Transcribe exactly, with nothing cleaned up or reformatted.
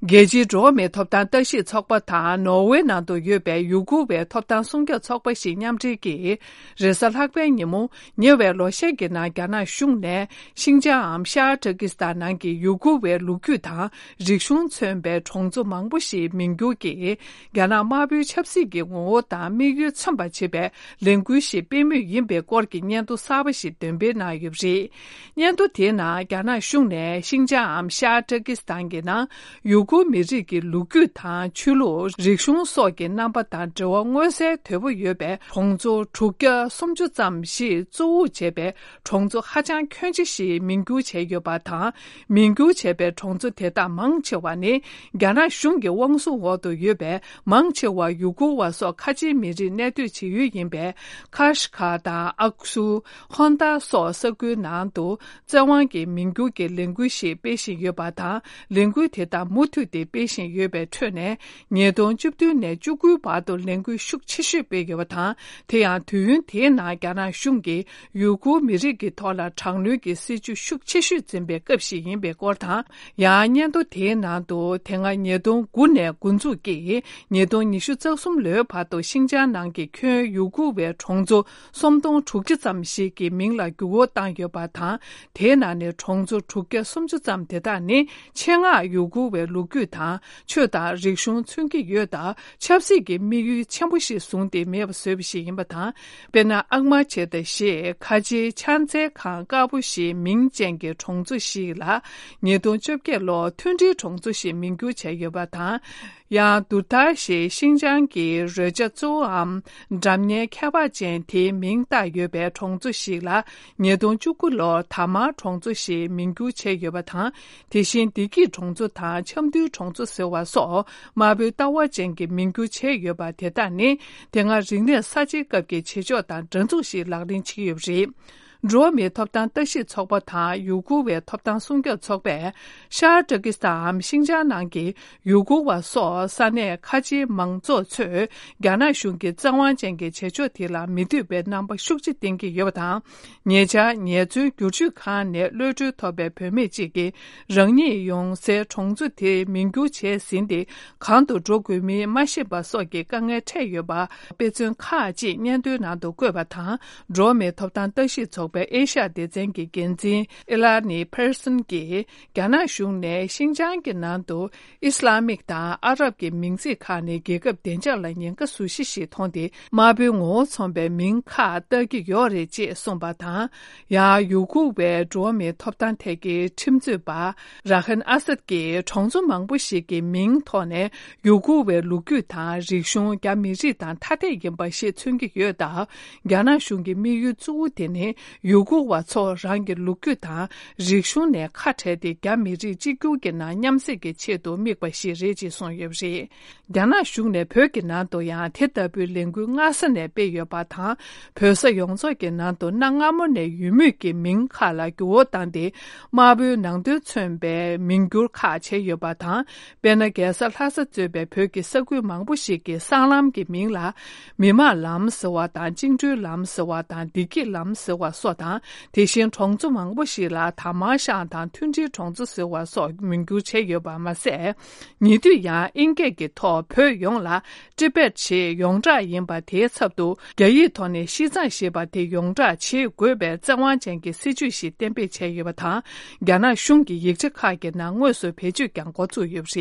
རྒྱལ་སྤྱིའི་འགྲོ་བ་མིའི་ཐོབ་ཐང་ལྟ་ཞིབ་ཚོགས་པ་དང་ནོར་ཝེ་ནང་དུ་ཡོད་པའི་ཡུ་གུར་བའི་ཐོབ་ཐང་སྲུང་སྐྱོབ་ཚོགས་པ་ཞིག་མཉམ་འབྲེལ་གྱིས། རེས་གཟའ་ལྷག་པའི་ཉིན་མོ། ཉེ་བའི་ལོ་ཤས་ཀྱི་ནང་རྒྱ་ནག་གཞུང་ནས་ཤིང་ཅང་འམ་ཤར་ཏུར་ཀི་སི་ཐན་ནང་གི་ཡུ་གུར་བའི་ལོ་རྒྱུས་དང་རིག་གཞུང་མཚོན་པའི་གྲོང་ཚོ་མང་པོ་ཞིག་མིང་བསྒྱུར་གྱིས། རྒྱ་ནག་དམར་པོའི་ཆབ་སྲིད་ཀྱི་ངོ་བོ་དང་དམིགས་ཡུལ་མཚོན་པར་བྱེད་པའི་ལས་འགུལ་ཞིག་སྤེལ་མུས་ཡིན་པའི་སྐོར་གྱི་སྙན་ཐོ་གསར་པ་ཞིག་འདོན་སྤེལ་གནང་ཡོད་པ་རེད། སྙན་ཐོ་དེའི་ནང་རྒྱ་ནག་གཞུང་ནས་ཤིང་ཅང་འམ་ཤར་ཏུར་ཀི་སི་ཐན་གྱི་ནང་ཡུ་གུར་མི་རིགས་ཀྱི་ལོ་རྒྱུས་དང་ཆོས་ལུགས། རིག་གཞུང་སོགས་ཀྱི་རྣམ་པ་དང་འབྲེལ་བ་མངོན་གསལ་དོད་པོ་ཡོད་པའི་གྲོང་ཚོ་དྲུག་བརྒྱ་སུམ་ཅུ་ཙམ་ཞིག་གཙོ་བོ་བྱས་པའི་གྲོང་ཚོ་ཧ་ཅང་ཁྱོན་ཆེ་ཞིག་མིང་བསྒྱུར་བྱས་ཡོད་པ་དང་། མིང་བསྒྱུར་བྱས་པའི་གྲོང་ཚོ་དེ་དག་མང་ཆེ་བ་ནི་རྒྱ་ནག་གཞུང་གི་དབང་བཟུང་འོག་ཏུ་ཡོད་པའི་མང་ཆེ་བ་ཡུ་གུར་བ་སོགས་ཁ་ཆེའི་མི་རིགས་གནས་སྡོད་བྱེད་ཡུལ་ཡིན་པའི་ཁ་ཤི་ཁ་དང་ཨག་སུ། ཧོན་ཏཱ་སོགས་ས་ཁུལ་ནང་དུ་བཙན་དབང་གིས་མིང་བསྒྱུར་གྱི་ལས་འགུལ་ཞིག་སྤེལ་བཞིན་ཡོད་པ་དང་། ལས་འགུལ་དེ་དག་མུ་མཐུད་དེ་སྤེལ་བཞིན་ཡོད་པའི་ཁྲོད་ནས། ཉིས་སྟོང་བཅུ་བདུན་ནས་བཅུ་དགུའི་བར་དུ་ལས་འགུལ་ཤུགས་ཆེ་ཤོས་སྤེལ་ཡོད་པ་དང་། དེ་ཡང་དུས་ཡུན་དེའི་ནང་རྒྱ་ནག་གཞུང་གིས་ཡུ་གུར་མི་རིགས་ཀྱི་ཐོག་ལ་དྲག་གནོན་གྱི་སྲིད་བྱུས་ཤུགས་ཆེ་ཤོས་འཛིན་པའི་སྐབས་ཤིག་ཡིན་པའི་སྐོར་དང་། ཡང་སྙན་ཐོ་དེའི་ནང་དུ། དེ་སྔ་ཉིས་སྟོང་དགུ་ནས་འགོ་འཛུགས་ཀྱིས་ཉིས་སྟོང་ཉི་ཤུ་རྩ་གསུམ་ལོའི་བར་དུ་ཤིང་ཅང་ནང་གི་ཁྱོན་ཡུ་གུར་བའི་གྲོང་ཚོ་སུམ་སྟོང་དྲུག་བརྒྱ་ཙམ་ཞིག་གི་མིང་ལ་འགྱུར་བ་བཏང་ཡོད་པ་དང་། དེའི་ནང་ནས་གྲོང་ཚོ་དྲུག་བརྒྱ་སུམ་ཅུ་ཙམ་དེ་དག་ནི་ཆེད་མངགས་ཡུ་གུར་བའི་ལོ་རྒྱུས་དང་ཆོས་དང་རིག་གཞུང་མཚོན་གྱི་ཡོད་སྟབས། ཆབ་སྲིད་ཀྱི་དམིགས་ཡུལ་ཆེན་པོ་ཞིག་བཟུང་སྟེ་མེད་པ་བཟོས་པ་ཞིག་ཡིན་པ་དང་། དཔེར་ན། ཨག་མ་ཆེ་ཏ་ཞེས་ཁ་ཆེའི་ཕྱག་འཚལ་ཁང་དཀར་པོ་ཞེས་མིང་ཅན་གྱི་གྲོང་ཚོ་ཞིག་ལ། ཉིས་སྟོང་བཅོ་བརྒྱད་ལོར་མཐུན་སྒྲིལ་གྲོང་ཚོ་ཞེས་མིང་བསྒྱུར་བྱས་ཡོད་པ་དང་། ཡང་། དུར་ཐར་ཞེས་ཤིང་ཅང་གི་རོལ་ཆ་གཙོ་བོའམ་སྒྲ་སྙན་ཁྱད་པར་ཅན་དེའི་མིང་བཏགས་ཡོད་པའི་གྲོང་ཚོ་ཞིག་ལ། ཉིས་སྟོང་བཅུ་དགུ་ལོར་དར་དམར་གྲོང་ཚོ་ཞེས་མིང་བསྒྱུར་བྱས་ཡོད་པ་དང་། དེ་བཞིན་བདེ་སྐྱིད་གྲོང་ཚོ་དང་ཆབ་མདོའི་གྲོང་ཚོ་ཟེར་བ་སོགས་དམར་པོའི་ལྟ་བ་ཅན་གྱི་མིང་བསྒྱུར་བྱས་ཡོད་པ་དེ་དག་ནི། དེ་སྔ་རིག་གནས་གསར་བརྗེའི་སྐབས་ཀྱི་བྱེད་ཕྱོགས་དང་འདྲ་མཚུངས་ཤིག་ལག་ལེན་བྱེད་ཀྱི་ཡོད་པ་རེད། འགྲོ་བ་མིའི་ཐོབ་ཐང་ལྟ་ཞིབ་ཚོགས་པ་དང་ཡུ་གུར་བའི་ཐོབ་ཐང་སྲུང་སྐྱོབ་ཚོགས་པས། ཤར་ཏུར་ཀི་སི་ཐན་འམ་ཤིང་ཅང་ནང་གི་ཡུ་གུར་བ་སོགས་ས་གནས་ཁ་ཆེའི་མང་ཚོགས་ཚོས་རྒྱ་ནག་གཞུང་གི་བཙན་དབང་ཅན་གྱི་བྱེད་ཕྱོགས་དེ་ལ་མི་འདོད་པའི་རྣམ་པ་ཤུགས་ཆེ་བསྟན་གྱི་ཡོད་པ་དང་། ཉེ་ཆར་ངལ་རྩོལ་བསྒྱུར་བཅོས་ཁང་ནས་གློད་གྲོལ་ཐོབ་པའི་བུད་མེད་ཅིག་གིས། རང་ཉིད་ཡོང་སའི་གྲོང་ཚོ་དེ་མིང་བསྒྱུར་བྱས་ཟིན་ཏེ། གང་དུ་འགྲོ་དགོས་མིན་མ་ཤེས་པ་སོགས་ཀྱི་དཀའ་ངལ་འཕྲད་ཡོད་པ། དཔེ་མཚོན་ཁག་ཅིག་སྙན་ཐོའི་ནང་དུ་བཀོད་པ་དང་། འགྲོ་བ་མིའི་ཐོབ་ཐང་ལྟ་ཞིབ་ཚོགས་པའི་ཨེ་ཤ་ཡ་སྡེ་ཚན་གྱི་འགན་འཛིན་ཨེ་ལ་ནི་ཕེར་སན་གྱིས། རྒྱ་ནག་གཞུང་ནས་ཤིང་ཅང་གི་ནང་དུ་ཨི་སི་ལ་མིག་དང་ཨ་རབ་ཀྱི་མིང་ཚིག་ཁག་ནི་རྒྱལ་ཁབ་བདེ་འཇགས་ལ་ཉེན་ཁ་བཟོ་གཞི་ཞིག་མཐོང་སྟེ། དམར་པོའི་ངོ་བོ་མཚོན་པའི་མིང་ཁག་བཏགས་ཀྱི་ཡོད་རེད་ཅེས་གསུངས་པ་དང་། ཡང་ཡུ་གུར་བའི་འགྲོ་བ་མིའི་ཐོབ་ཐང་ཐད་ཀྱི་ཁྲིམས་རྩོད་པ་ར་ཧན་ཨ་སད་ཀྱིས་གྲོང་ཚོ་མང་པོ་ཞིག་གི་མིང་ཐོག་ནས་ཡུ་གུར་བའི་ལོ་རྒྱུས་དང་རིག་གཞུང་རྒྱ་མི་རིགས་དང་ཐ་དད་ཡིན་པ་ཞིག་མཚོན་གྱི་ཡོད་སྟབས། རྒྱ་ནག་གཞུང་གི་དམིགས་ཡུལ་གཙོ་བོ་དེ་ནི་ཡུ་གུར་བ་ཚོ་རང་གི་ལོ་རྒྱུས་དང་རིག་གཞུང་ནས་ཁ་བྲལ་ཏེ། རྒྱ་མི་རིགས་གཅིག་གྱུར་གྱི་ནང་མཉམ་བསྲེས་ཀྱི་ཆེད་དུ་དམིགས་པ་ཞིག་རེད་ཅེས་གསུངས་ཡོད་པ་རེད། རྒྱ་ནག་གཞུང་ནས་བོད་ཀྱི་ནང་དུ་ཡང་དེ་ལྟ་བུའི་ལས་འགུལ་སྔ་ས་ནས་སྤེལ་ཡོད་པ་དང་། བོད་ས་ཡོངས་རྫོགས་ཀྱི་ནང་དུ་གནའ་སྔ་མོ་ནས་ཡོད་མུས་ཀྱི་མིང་ཁག་ལ་འགྱུར་བ་བཏང་སྟེ། དམར་པོའི་ནང་དོན་མཚོན་པའི་མིང་བསྒྱུར་ཁག་བྱས་ཡོད་པ་དང་། དཔེར་ན། རྒྱལ་ས་ལྷ་ས་གཙོས་པའི་བོད་ཀྱི་ས་ཁུལ་མང་པོ་ཞིག་གི་སྲང་ལམ་གྱི་མིང་ལ། མི་དམངས་ལམ་ཟེར་བ་དང་། བཅིངས་འགྲོལ་ལམ་ཟེར་བ་དང་། བདེ་སྐྱིད་ལམ་ཟེར་བ་སོགས་དང་། དེ་བཞིན་གྲོང་ཚོ་མང་པོ་ཞིག་ལ་དར་དམར་ཤང་དང་མཐུན་སྒྲིལ་གྲོང་ཚོ་ཟེར་བ་སོགས་མིང་བསྒྱུར་བྱས་ཡོད་པ་མ་ཟད། ཉེ་དུས་ཡང་དབྱིན་སྐད་ཀྱི་ཐོག་བོད་ཡོངས་ལ་ཏི་བེད་ཞེས་ཡོངས་གྲགས་ཡིན་པ་དེའི་ཚབ་ཏུ། རྒྱ་ཡིག་ཐོག་ནས་ཤིས་ཙང་ཞེས་པ་དེ་ཡོངས་གྲགས་བྱེད་དགོས་པའི་བཙན་དབང་ཅན་གྱི་སྲིད་བྱུས་ཤིག་གཏན་འབེབས་བྱས་ཡོད་པ་དང་། རྒྱ་ནག་གཞུང་གི་ཡིག་ཆ་ཁག་གི་ནང་དངོས་སུ་བེད་སྤྱོད་ཀྱང་འགོ་ཚུགས་ཡོད་པ་རེད།